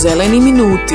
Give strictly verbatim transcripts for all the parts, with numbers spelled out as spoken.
Zeleni minuti.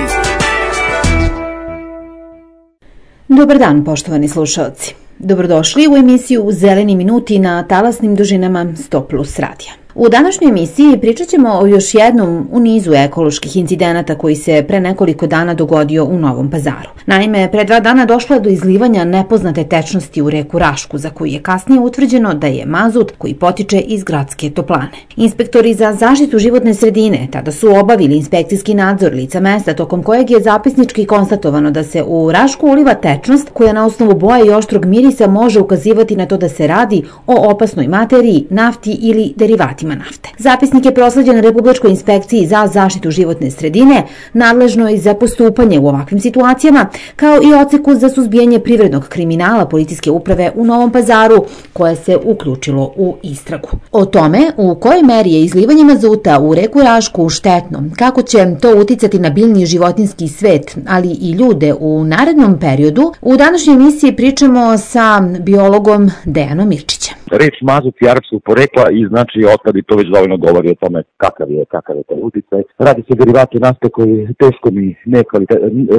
Dobar dan, poštovani slušalci. Dobrodošli u emisiju Zeleni minuti na talasnim dužinama sto plus radija. U današnjoj emisiji pričat ćemo o još jednom u nizu ekoloških incidenata koji se pre nekoliko dana dogodio u Novom Pazaru. Naime, pre dva dana došlo je do izlivanja nepoznate tečnosti u reku Rašku, za koju je kasnije utvrđeno da je mazut koji potiče iz gradske toplane. Inspektori za zaštitu životne sredine tada su obavili inspekcijski nadzor lica mesta, tokom kojeg je zapisnički konstatovano da se u Rašku uliva tečnost koja na osnovu boje i oštrog mirisa može ukazivati na to da se radi o opasnoj materiji, nafti ili derivatima nafte. Zapisnik je prosleđen Republičkoj inspekciji za zaštitu životne sredine, nadležnoj za postupanje u ovakvim situacijama, kao i odseku za suzbijanje privrednog kriminala policijske uprave u Novom Pazaru, koje se uključilo u istragu. O tome u kojoj meri je izlivanje mazuta u reku Rašku štetno, kako će to uticati na biljni i životinjski svet, ali i ljude u narednom periodu, u današnjoj emisiji pričamo sa biologom Dejanom Mirčićem. Reč mazut je arapskog porekla i znači otpad i to već dovoljno govori o tome kakav je, kakav je taj uticaj. Radi se derivati nafte koji teškom i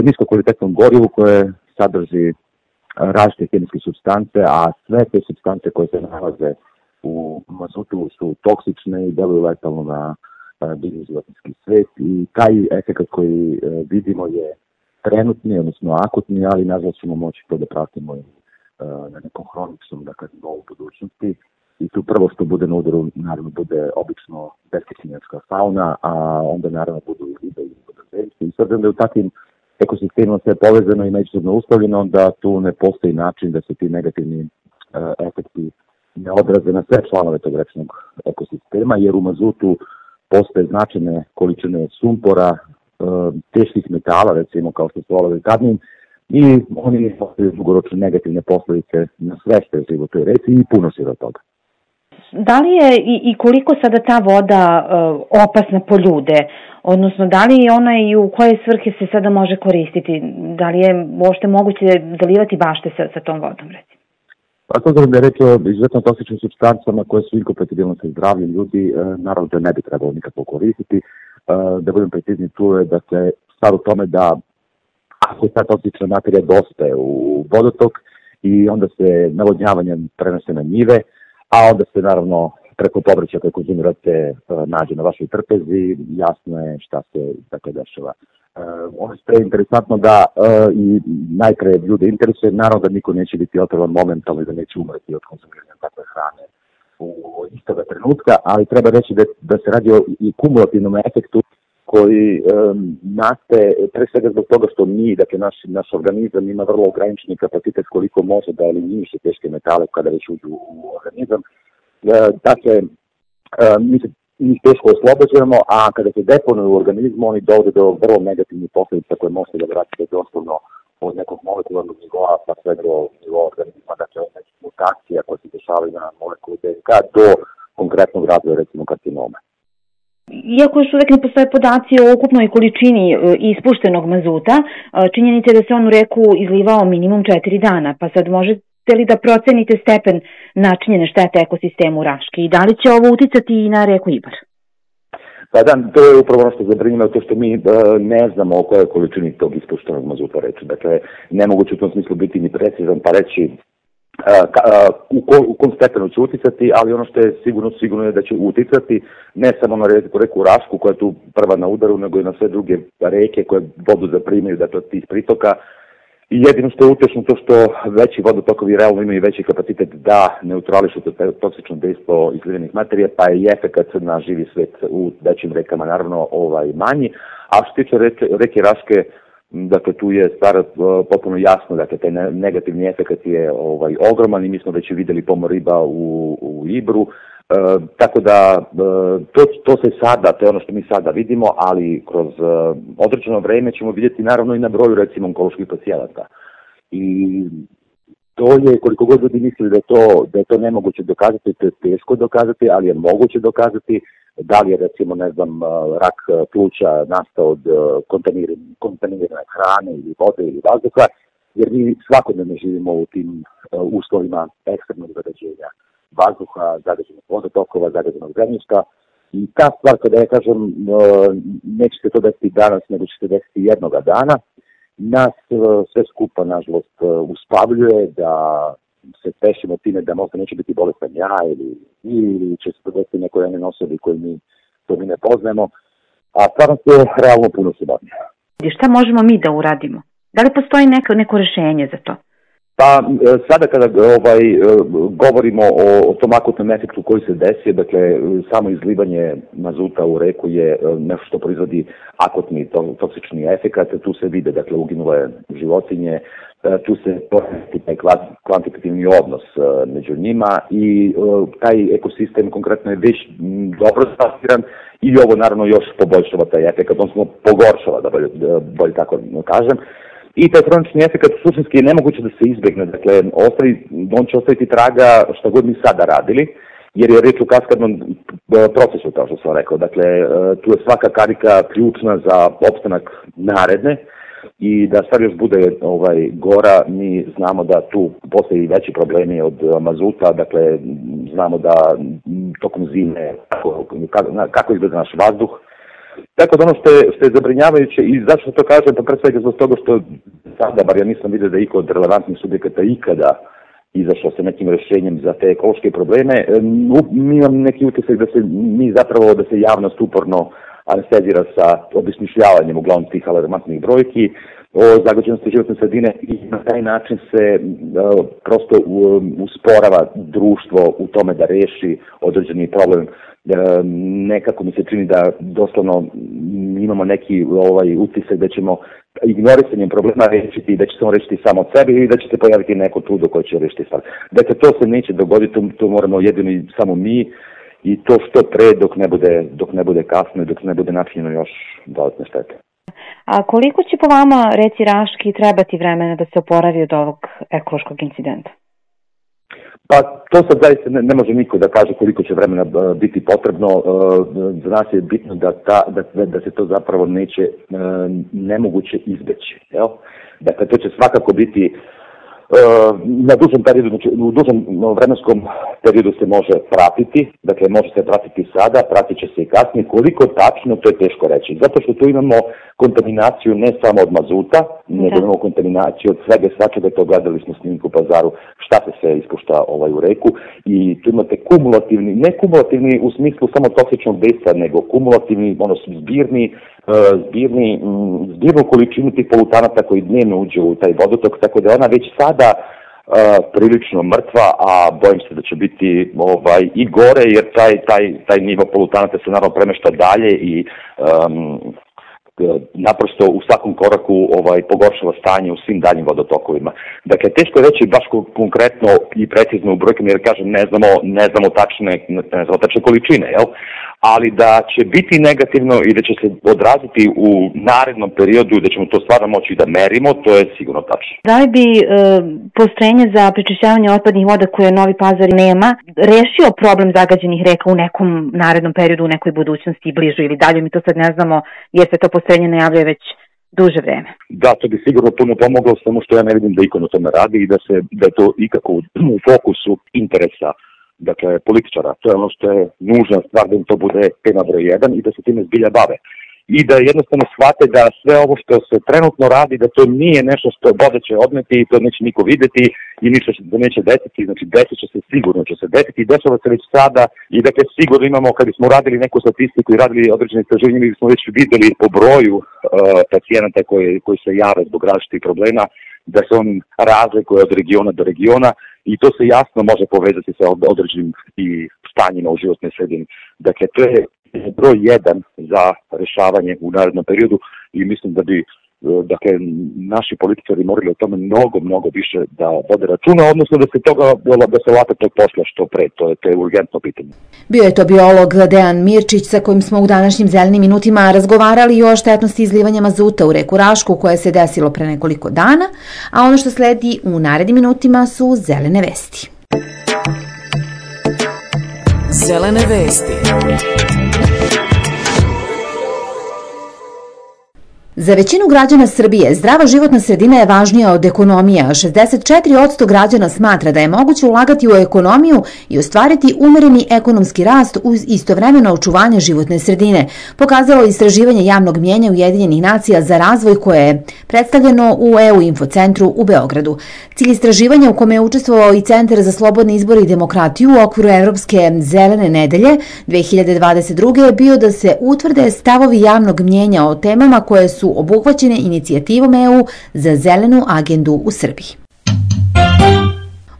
niskokvalitetnom gorivu koje sadrži različite hemijske supstance, a sve te supstance koje se nalaze u mazutu su toksične i deluju letalno na biljni životinjski svet i taj efekt koji vidimo je trenutni, odnosno akutni, ali nažalost ćemo moći to da pratimo na nekom hroničnom, dakle, novu budućnosti. I tu prvo što bude na udaru, naravno, bude obično besketinjačka fauna, a onda naravno budu i ribe i vodozemlje. I s obzirom da je u takvim ekosistemima sve povezano i međusobno uslovljeno, onda tu ne postoji način da se ti negativni uh, efekti ne odraze na sve članove tog rečnog ekosistema, jer u mazutu postoje značajne količine sumpora, uh, teških metala, recimo kao što su olovo i kadmijum, i oni postoje dugoročne negativne posledice na sve što je život u toj reci i puno se do toga. Da li je i, i koliko sada ta voda uh, opasna po ljude? Odnosno, da li je ona i u koje svrhe se sada može koristiti? Da li je uopšte moguće zalivati bašte sa, sa tom vodom, recimo? Pa s obzirom da je reč o izuzetno toksičnim supstancama koje su inkompatibilne sa zdravljem ljudi, uh, naravno da ne bi trebalo nikako koristiti. Uh, da budem precizni, tu je da se stvar u tome da ako ta toksična materija dostaje u vodotok i onda se navodnjavanjem prenose na njive, a onda se naravno preko povrća koje konzumirate nađe na vašoj trpezi, jasno je šta se dakle dešava. Ono što je interesantno da i najpre ljude interesuje, naravno da niko neće biti otrovan momentalno i da neće umreti od konzumiranja takve hrane u istoga trenutka, ali treba reći da, da se radi o i kumulativnom efektu koji um, nastaje pre svega zbog toga što mi, dakle naš, naš organizam ima vrlo ograničeni kapacitet koliko može da eliminiše teške metale kada već uđu u organizam. E, dakle, e, mi se njih teško oslobađamo, a kada se deponuju u organizmu, oni dovode do vrlo negativnih posljedica koje možete da vratite doslovno od nekog molekularnog nivoa pa sve do nivoa organizma, dakle od nekih mutacija koje se dešavaju na molekulu D N K do konkretnog razvoja, recimo karcinoma. Iako još uvek ne postoje podaci o ukupnoj količini ispuštenog mazuta, činjenica je da se on u reku izlivao minimum četiri dana, pa sad možete li da procenite stepen načinjene štete ekosistemu Raške i da li će ovo uticati i na reku Ibar? Pa da, to je upravo ono što zabrinjava, to što mi uh, ne znamo o kojoj količini tog ispuštenog mazuta reći. Dakle, nemoguće u tom smislu biti ni precizan pa reći Uh, ka, uh, u, ko, u kom stepenu će uticati, ali ono što je sigurno, sigurno je da će uticati ne samo na reku, reku Rašku koja je tu prva na udaru, nego i na sve druge reke koje vodu zaprimaju, dakle od tih pritoka. I jedino što je utešno to što veći vodotokovi realno imaju veći kapacitet da neutrališu to toksično dejstvo izlivenih materija, pa je i efekat na živi svet u većim rekama naravno ovaj manji. A što se tiče reke, reke Raške, dakle, tu je stvar uh, potpuno jasno, dakle, taj negativni efekt je ovaj, ogroman i mi smo već vidjeli pomor riba u, u Ibru, uh, tako da uh, to, to se sada, to je ono što mi sada vidimo, ali kroz uh, određeno vreme ćemo vidjeti naravno i na broju, recimo, onkoloških pacijenata. I to je, koliko god ljudi mislili da je to, da je to nemoguće dokazati, to je teško dokazati, ali je moguće dokazati. Da li je, recimo, ne znam, rak pluća nastao od kontaminirane hrane ili vode ili vazduha, jer mi svakodnevno živimo u tim uslovima ekstremnog zagađenja vazduha, zagađenog vodotokova, zagađenog zemljišta I ta stvar, kada ja kažem, neće se to desiti danas, nego će se desiti jednoga dana, nas sve skupa, nažalost, uspavljuje da se tešimo time da možda neće biti bolestan ja ili, ili će se to desiti nekoj jednoj osobi koju mi, koju mi ne poznajemo, a stvarno je realno puno slobodnije. Šta možemo mi da uradimo? Da li postoji neko, neko rešenje za to? Pa sada kada ovaj, govorimo o, o tom akutnom efektu koji se desi, dakle samo izlivanje mazuta u reku je nešto što proizvodi akutni to, toksični efekat, tu se vide dakle uginule životinje, tu se postoji taj kvantitativni odnos među njima i taj ekosistem konkretno je već dobro stasiran i ovo naravno još poboljšava taj efekat, odnosno pogoršava, da bolje, bolje tako kažem. I taj hronični efekat suštinski je nemoguće da se izbegne, dakle ostavi, on će ostaviti traga šta god mi sada radili, jer je reč o kaskadnom procesu, kao što sam rekao. Dakle, tu je svaka karika ključna za opstanak naredne i da stvar još bude ovaj, gora, mi znamo da tu postoji veći problemi od mazuta, dakle znamo da tokom zime kako, kako izgleda naš vazduh. Tako da ono što je, što je zabrinjavajuće i zašto to kažem, pa pre svega zbog toga što sada, bar ja nisam vidio da je iko od relevantnih subjekata ikada izašao sa nekim rešenjem za te ekološke probleme, mi imam neki utisak da se mi zapravo, da se javnost uporno anestezira sa obesmišljavanjem uglavnom tih alarmantnih brojki o zagađenosti životne sredine i na taj način se uh, prosto uh, usporava društvo u tome da reši određeni problem. Uh, nekako mi se čini da doslovno imamo neki ovaj utisak da ćemo ignorisanjem problema rešiti, da će se on rešiti samo od sebe ili da će se pojaviti neko čudo koje će rešiti stvar. Dakle, to se neće dogoditi, to, to moramo jedino i samo mi i to što pre dok ne bude, dok ne bude kasno i dok ne bude načinjeno još dodatne štete. A koliko će po vama, reci Raški, trebati vremena da se oporavi od ovog ekološkog incidenta? Pa to sad zaista ne, ne može niko da kaže koliko će vremena uh, biti potrebno. Uh, za nas je bitno da, ta, da, da se to zapravo neće uh, nemoguće izbeći. Jel? Dakle, to će svakako biti na dužem periodu, znači u dužem vremenskom periodu se može pratiti, dakle može se pratiti sada, pratit će se i kasnije, koliko tačno to je teško reći, zato što tu imamo kontaminaciju ne samo od mazuta, nego imamo kontaminaciju od svega svačega, to gledali smo snimku u Pazaru, šta se sve ispušta ovaj, u reku i tu imate kumulativni, ne kumulativni u smislu samo toksičnog dejstva, nego kumulativni, ono zbirni, zbirni, zbirnu količinu tih polutanata koji dnevno uđe u taj vodotok, tako da ona već sada uh, prilično mrtva, a bojim se da će biti ovaj, i gore, jer taj, taj, taj nivo polutanata se naravno premešta dalje i um, naprosto u svakom koraku ovaj, pogoršava stanje u svim daljim vodotokovima. Dakle, teško je reći baš konkretno i precizno u brojkama, jer kažem, ne znamo, ne znamo tačne, ne znamo tačne količine, jel? Ali da će biti negativno i da će se odraziti u narednom periodu, da ćemo to stvarno moći da merimo, to je sigurno tačno. Da li bi e, postrojenje za prečišćavanje otpadnih voda koje Novi Pazar nema rešio problem zagađenih reka u nekom narednom periodu, u nekoj budućnosti, bližu ili dalje, mi to sad ne znamo, jer se to postrojenje najavljuje već duže vreme? Da, to bi sigurno puno pomoglo, samo što ja ne vidim da iko na tome radi i da, se, da je to ikako u, u fokusu interesa, dakle, političara. To je ono što je nužna stvar da im to bude tema broj jedan i da se time zbilja bave. I da jednostavno shvate da sve ovo što se trenutno radi, da to nije nešto što voda će odneti i to neće niko videti i ništa da neće desiti, znači desit će se, sigurno će se desiti i dešava se već sada i dakle sigurno imamo, kad smo radili neku statistiku i radili određene istraživanje, mi smo već videli po broju uh, pacijenata koji, koji se jave zbog različitih problema, da se on razlikuje od regiona do regiona i to se jasno može povezati sa određenim i stanjima u životnoj sredini. Dakle, to je broj jedan za rešavanje u narednom periodu i mislim da bi dakle, naši političari morali o tome mnogo, mnogo više da vode računa, odnosno da se toga, da se late tog posla što pre, to je, to je urgentno pitanje. Bio je to biolog Dejan Mirčić sa kojim smo u današnjim Zelenim minutima razgovarali o štetnosti izlivanja mazuta u reku Rašku koje se desilo pre nekoliko dana, a ono što sledi u narednim minutima su Zelene vesti. Zelene vesti. Za većinu građana Srbije zdrava životna sredina je važnija od ekonomije, a šezdeset četiri posto građana smatra da je moguće ulagati u ekonomiju i ostvariti umereni ekonomski rast uz istovremeno očuvanje životne sredine, pokazalo istraživanje javnog mnjenja Ujedinjenih nacija za razvoj koje je predstavljeno u E U infocentru u Beogradu. Cilj istraživanja u kome je učestvovao i Centar za slobodne izbore i demokratiju u okviru Evropske zelene nedelje dve hiljade dvadeset druge. je bio da se utvrde stavovi javnog mnjenja o temama koje su obuhvaćene inicijativom E U za zelenu agendu u Srbiji.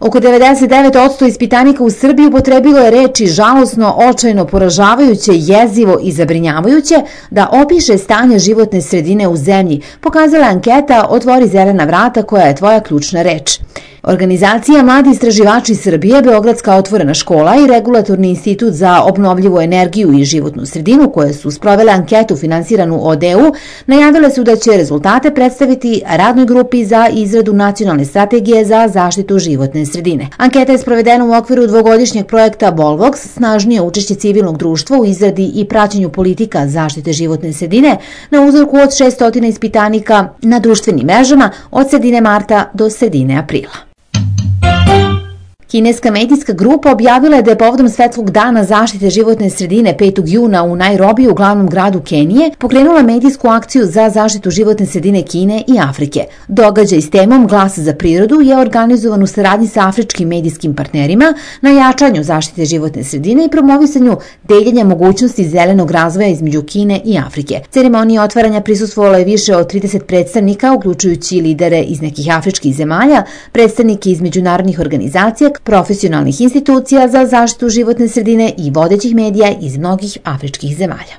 Oko devedeset devet posto ispitanika u Srbiji upotrebilo je reči žalosno, očajno, poražavajuće, jezivo i zabrinjavajuće da opiše stanje životne sredine u zemlji, pokazala anketa Otvori zelena vrata koja je tvoja ključna reč. Organizacija Mladi istraživači Srbije, Beogradska otvorena škola i Regulatorni institut za obnovljivu energiju i životnu sredinu, koje su sprovele anketu finansiranu od E U, najavile su da će rezultate predstaviti radnoj grupi za izradu nacionalne strategije za zaštitu životne sredine. Anketa je sprovedena u okviru dvogodišnjeg projekta Bolvox, snažnije učešće civilnog društva u izradi i praćenju politika zaštite životne sredine na uzorku od šessto ispitanika na društvenim mrežama od sredine marta do sredine aprila. Kineska medijska grupa objavila je da je povodom Svetskog dana zaštite životne sredine petog juna u Nairobiju, u glavnom gradu Kenije, pokrenula medijsku akciju za zaštitu životne sredine Kine i Afrike. Događaj s temom Glas za prirodu je organizovan u saradnji sa afričkim medijskim partnerima na jačanju zaštite životne sredine i promovisanju deljenja mogućnosti zelenog razvoja između Kine i Afrike. Ceremoniji otvaranja prisustvovalo je više od trideset predstavnika, uključujući lidere iz nekih afričkih zemalja, predstavnike iz međunarodnih organizacija, profesionalnih institucija za zaštitu životne sredine i vodećih medija iz mnogih afričkih zemalja.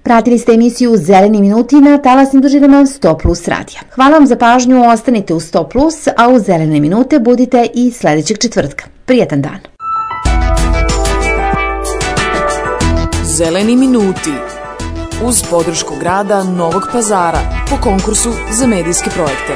Pratili ste emisiju Zeleni minuti na talasnim dužinama sto plus radija. Hvala vam za pažnju, ostanite u sto plus, a u Zelene minute budite i sledećeg četvrtka. Prijetan dan. Zeleni minuti uz podršku grada Novog Pazara po konkursu za medijske projekte.